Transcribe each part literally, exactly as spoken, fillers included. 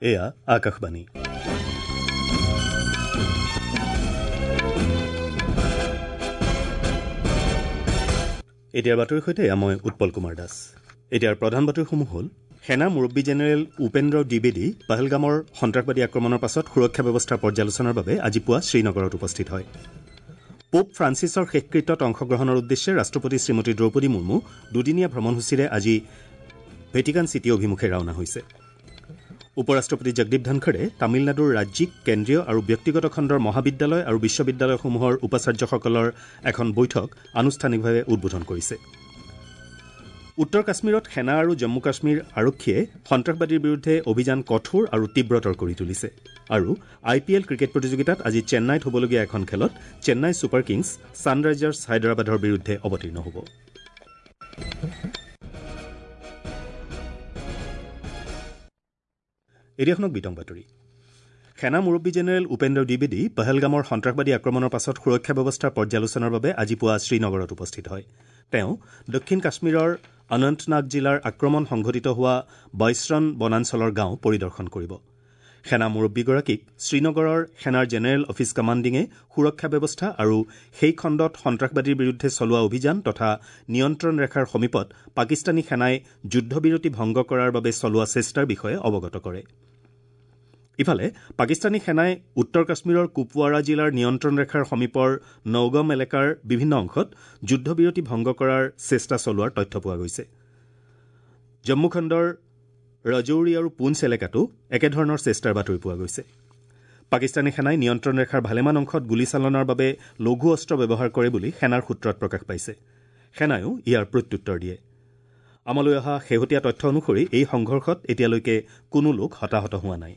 এয়া আকাশবাণী। এতিয়াৰ বাতৰিৰ সৈতে এয়া মই উৎপল কুমাৰ দাস। এতিয়াৰ প্ৰধান বাতৰিসমূহ হ'ল: সেনা মুৰব্বী জেনেৰেল উপেন্দ্ৰ দ্বিবেদী পহলগামৰ সন্ত্ৰাসবাদী আক্ৰমণৰ পাছত সুৰক্ষা ব্যৱস্থাৰ পৰ্যালোচনাৰ বাবে আজি পুৱা শ্ৰীনগৰত উপস্থিত হয়। পোপ ফ্ৰান্সিছৰ শেষকৃত্যত অংশগ্ৰহণৰ উদ্দেশ্যে ৰাষ্ট্ৰপতি শ্ৰীমতী দ্ৰৌপদী মুৰ্মু দুদিনীয়া ভ্ৰমণসূচীৰে আজি ভেটিকান চিটি অভিমুখে ৰাওনা হৈছে। উপ ৰাষ্ট্ৰপতি জগদীপ ধনখড়ে তামিলনাডুৰ ৰাজ্যিক, কেন্দ্ৰীয় আৰু ব্যক্তিগত খণ্ডৰ মহাবিদ্যালয় আৰু বিশ্ববিদ্যালয়সমূহৰ উপাচাৰ্যসকলৰ এখন বৈঠক আনুষ্ঠানিকভাৱে উদ্বোধন কৰিছে। উত্তৰ কাশ্মীৰত সেনা আৰু জম্মু কাশ্মীৰ আৰক্ষীয়ে সন্ত্ৰাসবাদীৰ বিৰুদ্ধে অভিযান কঠোৰ আৰু তীব্ৰতৰ কৰি তুলিছে। আৰু আই পি এল ক্ৰিকেট প্ৰতিযোগিতাত আজি চেন্নাইত হ'বলগীয়া এখন খেলত চেন্নাই ছুপাৰ কিংছ ছানৰাইজাৰ্ছ হায়দৰাবাদৰ বিৰুদ্ধে অৱতীৰ্ণ হ'ব। এতিয়া শুনক বিতং বাতৰি। সেনা মুৰব্বী জেনেৰেল উপেন্দ্ৰ দ্বিবেদী পহলগামৰ সন্ত্ৰাসবাদী আক্ৰমণৰ পাছত সুৰক্ষা ব্যৱস্থাৰ পৰ্যালোচনাৰ বাবে আজি পুৱা শ্ৰীনগৰত উপস্থিত হয়। তেওঁ দক্ষিণ কাশ্মীৰৰ অনন্তনাগ জিলাৰ আক্ৰমণ সংঘটিত হোৱা বৈশ্ৰণ বনাঞ্চলৰ গাঁও পৰিদৰ্শন কৰিব। সেনা মুৰব্বীগৰাকীক শ্ৰীনগৰৰ সেনাৰ জেনেৰেল অফিচ কমাণ্ডিঙে সুৰক্ষা ব্যৱস্থা আৰু সেই খণ্ডত সন্ত্ৰাসবাদীৰ বিৰুদ্ধে চলোৱা অভিযান তথা নিয়ন্ত্ৰণ ৰেখাৰ সমীপত পাকিস্তানী সেনাই যুদ্ধবিৰতি ভংগ কৰাৰ বাবে চলোৱা চেষ্টাৰ বিষয়ে অৱগত কৰে। ইফালে পাকিস্তানী সেনাই উত্তৰ কাশ্মীৰৰ কুপৱাৰা জিলাৰ নিয়ন্ত্ৰণ ৰেখাৰ সমীপৰ নৌগম এলেকাৰ বিভিন্ন অংশত যুদ্ধবিৰতি ভংগ কৰাৰ চেষ্টা চলোৱাৰ তথ্য পোৱা গৈছে। জম্মু খণ্ডৰ ৰাজৌৰি আৰু পুঞ্চ এলেকাতো একেধৰণৰ চেষ্টাৰ বাতৰি পোৱা গৈছে। পাকিস্তানী সেনাই নিয়ন্ত্ৰণ ৰেখাৰ ভালেমান অংশত গুলীচালনাৰ বাবে লঘু অস্ত্ৰ ব্যৱহাৰ কৰে বুলি সেনাৰ সূত্ৰত প্ৰকাশ পাইছে। সেনায়ো ইয়াৰ প্ৰত্যুত্তৰ দিয়ে। আমালৈ অহা শেহতীয়া তথ্য অনুসৰি এই সংঘৰ্ষত এতিয়ালৈকে কোনো লোক হতাহত হোৱা নাই।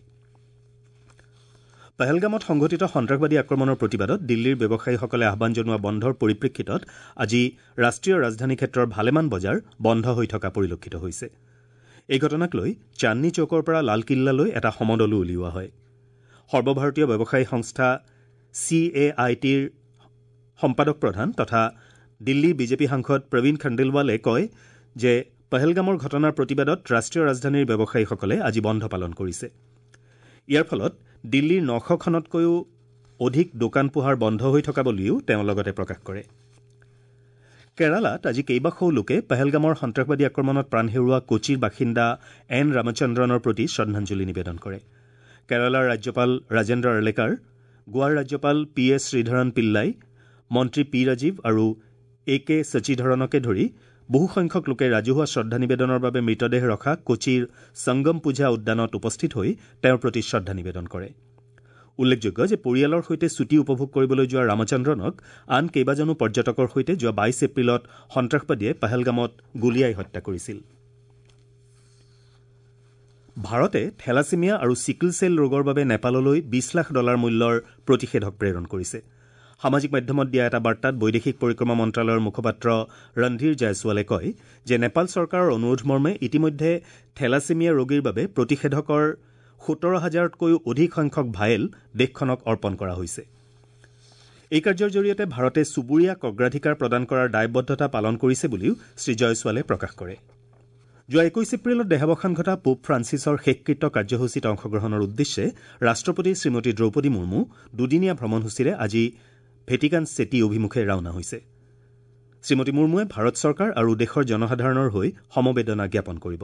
পহলগামত সংঘটিত সন্ত্ৰাসবাদী আক্ৰমণৰ প্ৰতিবাদত দিল্লীৰ ব্যৱসায়ীসকলে আহ্বান জনোৱা বন্ধৰ পৰিপ্ৰেক্ষিতত আজি ৰাষ্ট্ৰীয় ৰাজধানী ক্ষেত্ৰৰ ভালেমান বজাৰ বন্ধ হৈ থকা পৰিলক্ষিত হৈছে। এই ঘটনাক লৈ চান্দনী চৌকৰ পৰা লালকিল্লালৈ এটা সমদলো উলিওৱা হয়। সৰ্বভাৰতীয় ব্যৱসায়ী সংস্থা চি এ I টিৰ সম্পাদক প্ৰধান তথা দিল্লীৰ বিজেপি সাংসদ প্ৰবীণ খণ্ডেলৱালে কয় যে পহলগামৰ ঘটনাৰ প্ৰতিবাদত ৰাষ্ট্ৰীয় ৰাজধানীৰ ব্যৱসায়ীসকলে আজি বন্ধ পালন কৰিছে। ইয়াৰ ফলত দিল্লীৰ নশখনতকৈও অধিক দোকান পোহাৰ বন্ধ হৈ থকা বুলিও তেওঁ লগতে প্ৰকাশ কৰে। কেৰালাত আজি কেইবাশও লোকে পহলগামৰ সন্ত্ৰাসবাদী আক্ৰমণত প্ৰাণ হেৰুওৱা কোচিৰ বাসিন্দা এন ৰামচন্দ্ৰনৰ প্ৰতি শ্ৰদ্ধাঞ্জলি নিবেদন কৰে। কেৰালাৰ ৰাজ্যপাল ৰাজেন্দ্ৰ আৰ্লেকাৰ, গোৱাৰ ৰাজ্যপাল পি এছ শ্ৰীধৰণ পিল্লাই, মন্ত্ৰী পি ৰাজীৱ আৰু এ কে শশীধৰণকে ধৰি বহুসংখ্যক লোকে ৰাজহুৱা শ্ৰদ্ধা নিবেদনৰ বাবে মৃতদেহ ৰখা কোচিৰ সংগম পূজা উদ্যানত উপস্থিত হৈ তেওঁৰ প্ৰতি শ্ৰদ্ধা নিবেদন কৰে। উল্লেখযোগ্য যে পৰিয়ালৰ সৈতে ছুটী উপভোগ কৰিবলৈ যোৱা ৰামচন্দ্ৰনক আন কেইবাজনো পৰ্যটকৰ সৈতে যোৱা বাইছ এপ্ৰিলত সন্ত্ৰাসবাদীয়ে পহলগামত গুলীয়াই হত্যা কৰিছিল। ভাৰতে থেলাছেমিয়া আৰু চিকল চেল ৰোগৰ বাবে নেপাললৈ বিশ লাখ ডলাৰ মূল্যৰ প্ৰতিষেধক প্ৰেৰণ কৰিছে। সামাজিক মাধ্যমত দিয়া এটা বাৰ্তাত বৈদেশিক পৰিক্ৰমা মন্ত্ৰালয়ৰ মুখপাত্ৰ ৰণধীৰ জয়ছোৱালে কয় যে নেপাল চৰকাৰৰ অনুৰোধ মৰ্মে ইতিমধ্যে থেলাছেমিয়া ৰোগীৰ বাবে প্ৰতিষেধকৰ সোতৰ হাজাৰতকৈও অধিক সংখ্যক ভায়েল দেশখনক অৰ্পণ কৰা হৈছে। এই কাৰ্যৰ জৰিয়তে ভাৰতে চুবুৰীয়াক অগ্ৰাধিকাৰ প্ৰদান কৰাৰ দায়বদ্ধতা পালন কৰিছে বুলিও শ্ৰী জয়ছোৱালে প্ৰকাশ কৰে। যোৱা একৈশ এপ্ৰিলত দেহাৱসান ঘটা পোপ ফ্ৰান্সিছৰ শেষকৃত্য কাৰ্যসূচীত অংশগ্ৰহণৰ উদ্দেশ্যে ৰাষ্ট্ৰপতি শ্ৰীমতী দ্ৰৌপদী মুৰ্মু দুদিনীয়া ভ্ৰমণসূচীৰে আজি ভেটিকান চিটি অভিমুখে ৰাওনা হৈছে। শ্ৰীমতী মুৰ্মুৱে ভাৰত চৰকাৰ আৰু দেশৰ জনসাধাৰণৰ হৈ সমবেদনা জ্ঞাপন কৰিব।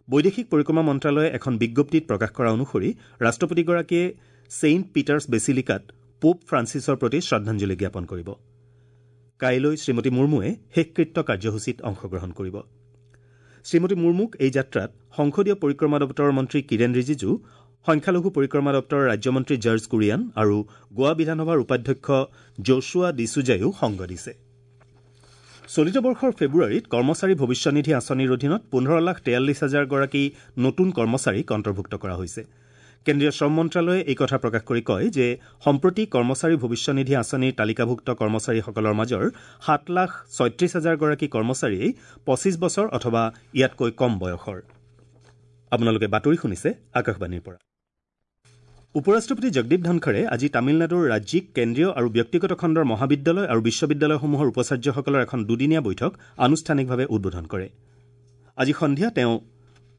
বৈদেশিক পৰিক্ৰমা মন্ত্ৰালয়ে এখন বিজ্ঞপ্তিত প্ৰকাশ কৰা অনুসৰি ৰাষ্ট্ৰপতিগৰাকীয়ে ছেইণ্ট পিটাৰ্ছ বেচিলিকাত পোপ ফ্ৰান্সিছৰ প্ৰতি শ্ৰদ্ধাঞ্জলি জ্ঞাপন কৰিব। কাইলৈ শ্ৰীমতী মুৰ্মুৱে শেষকৃত্য কাৰ্যসূচীত অংশগ্ৰহণ কৰিব। শ্ৰীমতী মুৰ্মুক এই যাত্ৰাত সংসদীয় পৰিক্ৰমা দপ্তৰৰ মন্ত্ৰী কিৰেণ ৰিজিজু, সংখ্যালঘু পৰিক্ৰমা দপ্তৰৰ ৰাজ্যমন্ত্ৰী জৰ্জ কুৰিয়ান আৰু গোৱা বিধানসভাৰ উপাধ্যক্ষ জোচুৱা ডিচুজাইও সংগ দিছে। চলিত বৰ্ষৰ ফেব্ৰুৱাৰীত কৰ্মচাৰী ভৱিষ্যনিধি আঁচনিৰ অধীনত পোন্ধৰ লাখ তেয়াল্লিছ হাজাৰগৰাকী নতুন কৰ্মচাৰীক অন্তৰ্ভুক্ত কৰা হৈছে। কেন্দ্ৰীয় শ্ৰম মন্ত্ৰালয়ে এই কথা প্ৰকাশ কৰি কয় যে সম্প্ৰতি কৰ্মচাৰী ভৱিষ্যনিধি আঁচনিৰ তালিকাভুক্ত কৰ্মচাৰীসকলৰ মাজৰ সাত লাখ ছয়ত্ৰিছ হাজাৰগৰাকী কৰ্মচাৰীয়েই পঁচিছ বছৰ অথবা ইয়াতকৈ কম বয়সৰ। আপোনালোকে বাতৰি শুনিছে আকাশবাণীৰ পৰা। উপ ৰাষ্ট্ৰপতি জগদীপ ধনখড়ে আজি তামিলনাডুৰ ৰাজ্যিক, কেন্দ্ৰীয় আৰু ব্যক্তিগত খণ্ডৰ মহাবিদ্যালয় আৰু বিশ্ববিদ্যালয়সমূহৰ উপাচাৰ্যসকলৰ এখন দুদিনীয়া বৈঠক আনুষ্ঠানিকভাৱে উদ্বোধন কৰে। আজি সন্ধিয়া তেওঁ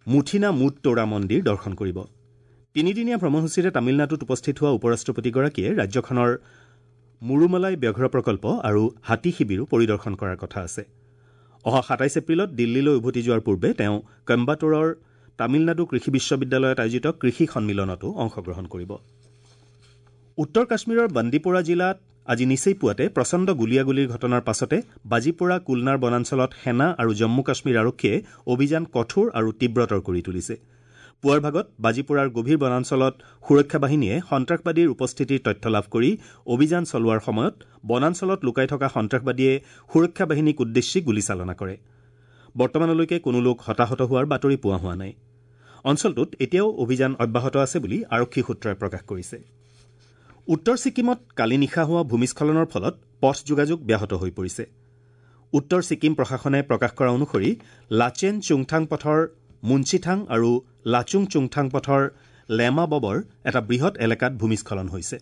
মুথিনা মুট তোৰা মন্দিৰ দৰ্শন কৰিব। তিনিদিনীয়া ভ্ৰমণসূচীৰে তামিলনাডুত উপস্থিত হোৱা উপ-ৰাষ্ট্ৰপতিগৰাকীয়ে ৰাজ্যখনৰ মুৰুমালাই ব্যাঘ্ৰ প্ৰকল্প আৰু হাতী শিবিৰো পৰিদৰ্শন কৰাৰ কথা আছে। অহা সাতাইছ এপ্ৰিলত দিল্লীলৈ উভতি যোৱাৰ পূৰ্বে তেওঁ কইম্বাটুৰৰ তামিলনাডু কৃষি বিশ্ববিদ্যালয়ত আয়োজিত কৃষি সন্মিলনতো অংশগ্ৰহণ কৰিব। উত্তৰ কাশ্মীৰৰ বান্দিপোৰা জিলাত আজি নিচেই পুৱাতে প্ৰচণ্ড গুলীয়াগুলীৰ ঘটনাৰ পাছতে বাজিপোৰা কুলনাৰ বনাঞ্চলত সেনা আৰু জম্মু কাশ্মীৰ আৰক্ষীয়ে অভিযান কঠোৰ আৰু তীব্ৰতৰ কৰি তুলিছে। পুৱাৰ ভাগত বাজিপোৰাৰ গভীৰ বনাঞ্চলত সুৰক্ষা বাহিনীয়ে সন্ত্ৰাসবাদীৰ উপস্থিতিৰ তথ্য লাভ কৰি অভিযান চলোৱাৰ সময়ত বনাঞ্চলত লুকাই থকা সন্ত্ৰাসবাদীয়ে সুৰক্ষা বাহিনীক উদ্দেশ্যি গুলীচালনা কৰে। বৰ্তমানলৈকে কোনো লোক হতাহত হোৱাৰ বাতৰি পোৱা হোৱা নাই। অঞ্চলটোত এতিয়াও অভিযান অব্যাহত আছে বুলি আৰক্ষী সূত্ৰই প্ৰকাশ কৰিছে। উত্তৰ ছিকিমত কালি নিশা হোৱা ভূমিস্খলনৰ ফলত পথ যোগাযোগ ব্যাহত হৈ পৰিছে। উত্তৰ ছিকিম প্ৰশাসনে প্ৰকাশ কৰা অনুসৰি লাচেন চুংথাং পথৰ মুঞ্চিথাং আৰু লাচুং চুংথাং পথৰ লেমা ববৰ এটা বৃহৎ এলেকাত ভূমিস্খলন হৈছে।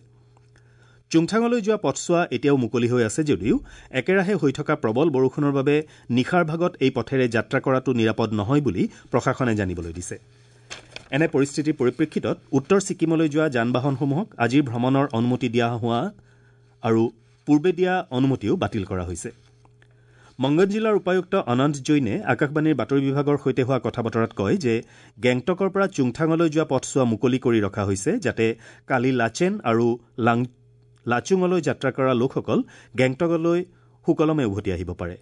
চুংথাঙলৈ যোৱা পথছোৱা এতিয়াও মুকলি হৈ আছে যদিও একেৰাহে হৈ থকা প্ৰবল বৰষুণৰ বাবে নিশাৰ ভাগত এই পথেৰে যাত্ৰা কৰাটো নিৰাপদ নহয় বুলি প্ৰশাসনে জানিবলৈ দিছে। এনে পৰিস্থিতিৰ পৰিপ্ৰেক্ষিতত উত্তৰ ছিকিমলৈ যোৱা যান বাহনসমূহক আজিৰ ভ্ৰমণৰ অনুমতি দিয়া হোৱা আৰু পূৰ্বে দিয়া অনুমতিও বাতিল কৰা হৈছে। মংগন জিলাৰ উপায়ুক্ত অনন্ত জৈনে আকাশবাণীৰ বাতৰি বিভাগৰ সৈতে হোৱা কথা বতৰাত কয় যে গেংটকৰ পৰা চুংথাঙলৈ যোৱা পথছোৱা মুকলি কৰি ৰখা হৈছে যাতে কালি লাচেন আৰু লাচুঙলৈ যাত্ৰা কৰা লোকসকল গেংটকলৈ সুকলমে উভতি আহিব পাৰে।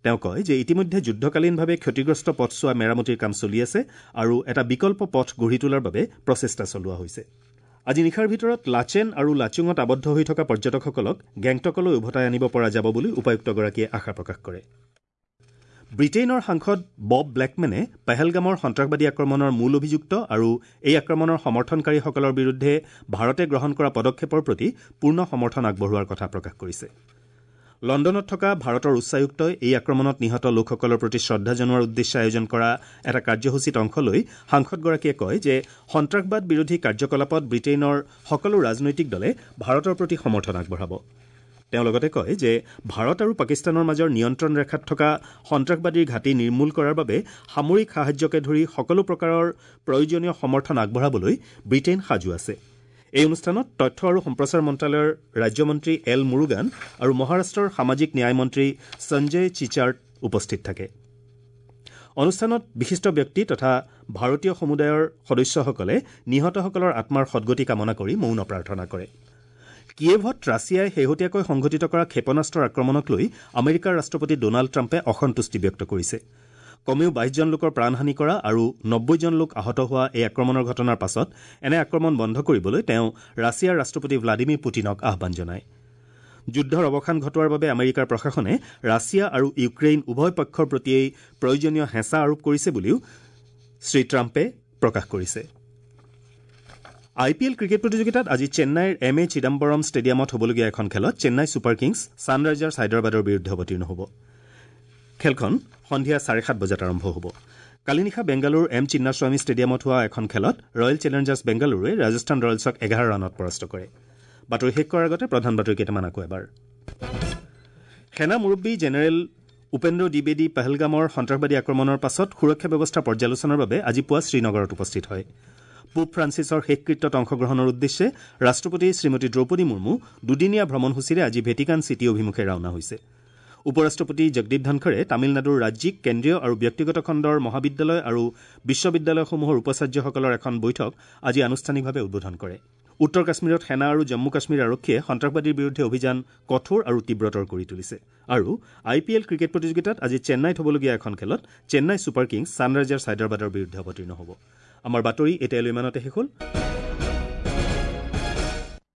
তেওঁ কয় যে ইতিমধ্যে যুদ্ধকালীনভাৱে ক্ষতিগ্ৰস্ত পথছোৱা মেৰামতিৰ কাম চলি আছে আৰু এটা বিকল্প পথ গঢ়ি তোলাৰ বাবে প্ৰচেষ্টা চলোৱা হৈছে। আজি নিশাৰ ভিতৰত লাচেন আৰু লাচুঙত আবদ্ধ হৈ থকা পৰ্যটকসকলক গেংটকলৈ উভতাই আনিব পৰা যাব বুলি উপায়ুক্তগৰাকীয়ে আশা প্ৰকাশ কৰে। ব্ৰিটেইনৰ সাংসদ বব ব্লেকমেনে পেহেলগামৰ সন্ত্ৰাসবাদী আক্ৰমণৰ মূল অভিযুক্ত আৰু এই আক্ৰমণৰ সমৰ্থনকাৰীসকলৰ বিৰুদ্ধে ভাৰতে গ্ৰহণ কৰা পদক্ষেপৰ প্ৰতি পূৰ্ণ সমৰ্থন আগবঢ়োৱাৰ কথা প্ৰকাশ কৰিছে। লণ্ডনত থকা ভাৰতৰ উচ্চায়ুক্তই এই আক্ৰমণত নিহত লোকসকলৰ প্ৰতি শ্ৰদ্ধা জনোৱাৰ উদ্দেশ্যে আয়োজন কৰা এটা কাৰ্যসূচীত অংশ লৈ সাংসদগৰাকীয়ে কয় যে সন্ত্ৰাসবাদ বিৰোধী কাৰ্যকলাপত ব্ৰিটেইনৰ সকলো ৰাজনৈতিক দলে ভাৰতৰ প্ৰতি সমৰ্থন আগবঢ়াব। তেওঁ লগতে কয় যে ভাৰত আৰু পাকিস্তানৰ মাজৰ নিয়ন্ত্ৰণ ৰেখাত থকা সন্ত্ৰাসবাদীৰ ঘাটি নিৰ্মূল কৰাৰ বাবে সামৰিক সাহায্যকে ধৰি সকলো প্ৰকাৰৰ প্ৰয়োজনীয় সমৰ্থন আগবঢ়াবলৈ ব্ৰিটেইন সাজু আছে। এই অনুষ্ঠানত তথ্য আৰু সম্প্ৰচাৰ মন্ত্ৰালয়ৰ ৰাজ্যমন্ত্ৰী এল মুৰুগান আৰু মহাৰাষ্ট্ৰৰ সামাজিক ন্যায় মন্ত্ৰী সঞ্জয় চিচাৰ্ট উপস্থিত থাকে। অনুষ্ঠানত বিশিষ্ট ব্যক্তি তথা ভাৰতীয় সমুদায়ৰ সদস্যসকলে নিহতসকলৰ আত্মাৰ সদগতি কামনা কৰি মৌন প্ৰাৰ্থনা কৰে। কিয়েভত ৰাছিয়াই শেহতীয়াকৈ সংঘটিত কৰা ক্ষেপণাস্ত্ৰৰ আক্ৰমণক লৈ আমেৰিকাৰ ৰাষ্ট্ৰপতি ডনাল্ড ট্ৰাম্পে অসন্তুষ্টি ব্যক্ত কৰিছে। কমেও বাইশজন লোকৰ প্ৰাণহানি কৰা আৰু নব্বৈজন লোক আহত হোৱা এই আক্ৰমণৰ ঘটনাৰ পাছত এনে আক্ৰমণ বন্ধ কৰিবলৈ তেওঁ ৰাছিয়াৰ ৰাষ্ট্ৰপতি ভ্লাদিমিৰ পুটিনক আহ্বান জনায়। যুদ্ধৰ অৱসান ঘটোৱাৰ বাবে আমেৰিকাৰ প্ৰশাসনে ৰাছিয়া আৰু ইউক্ৰেইন উভয় পক্ষৰ প্ৰতিয়েই প্ৰয়োজনীয় হেঁচা আৰোপ কৰিছে বুলিও শ্ৰী ট্ৰাম্পে প্ৰকাশ কৰিছে। আই পি এল ক্ৰিকেট প্ৰতিযোগিতাত আজি চেন্নাইৰ এম এ চিদাম্বৰম ষ্টেডিয়ামত হ'বলগীয়া এখন খেলত চেন্নাই ছুপাৰ কিংছ ছানৰাইজাৰ্ছ হায়দৰাবাদৰ বিৰুদ্ধে অৱতীৰ্ণ হ'ব। খেলখন সন্ধিয়া চাৰে সাত বজাত আৰম্ভ হ'ব। কালি নিশা বেংগালুৰুৰ এম চিন্নাস্বামী ষ্টেডিয়ামত হোৱা এখন খেলত ৰয়েল চেলেঞ্জাৰ্ছ বেংগালুৰুৱে ৰাজস্থান ৰয়েলছক এঘাৰ ৰানত পৰাস্ত কৰে। বাতৰি শেষ কৰাৰ আগতে প্ৰধান বাতৰি কেইটামান আকৌ এবাৰ। সেনা মুৰব্বী জেনেৰেল উপেন্দ্ৰ দ্বিবেদী পেহেলগামৰ সন্ত্ৰাসবাদী আক্ৰমণৰ পাছত সুৰক্ষা ব্যৱস্থা পৰ্যালোচনাৰ বাবে আজি পুৱা শ্ৰীনগৰত উপস্থিত হয়। পোপ ফ্ৰান্সিছৰ শেষকৃত্যত অংশগ্ৰহণৰ উদ্দেশ্যে ৰাষ্ট্ৰপতি শ্ৰীমতী দ্ৰৌপদী মুৰ্মু দুদিনীয়া ভ্ৰমণসূচীৰে আজি ভেটিকান চিটি অভিমুখে ৰাওনা হৈছে। উপ-ৰাষ্ট্ৰপতি জগদীপ ধনখৰে তামিলনাডুৰ ৰাজ্যিক, কেন্দ্ৰীয় আৰু ব্যক্তিগত খণ্ডৰ মহাবিদ্যালয় আৰু বিশ্ববিদ্যালয়সমূহৰ উপাচাৰ্যসকলৰ এখন বৈঠক আজি আনুষ্ঠানিকভাৱে উদ্বোধন কৰে। উত্তৰ কাশ্মীৰত সেনা আৰু জম্মু কাশ্মীৰ আৰক্ষীয়ে সন্ত্ৰাসবাদীৰ বিৰুদ্ধে অভিযান কঠোৰ আৰু তীব্ৰতৰ কৰি তুলিছে। আৰু আই পি এল ক্ৰিকেট প্ৰতিযোগিতাত আজি চেন্নাইত হ'বলগীয়া এখন খেলত চেন্নাই ছুপাৰ কিংছ ছানৰাইজাৰ্ছ হায়দৰাবাদৰ বিৰুদ্ধে অৱতীৰ্ণ হ'ব। আমাৰ বাতৰি এতিয়ালৈ ইমানতে শেষ হ'ল।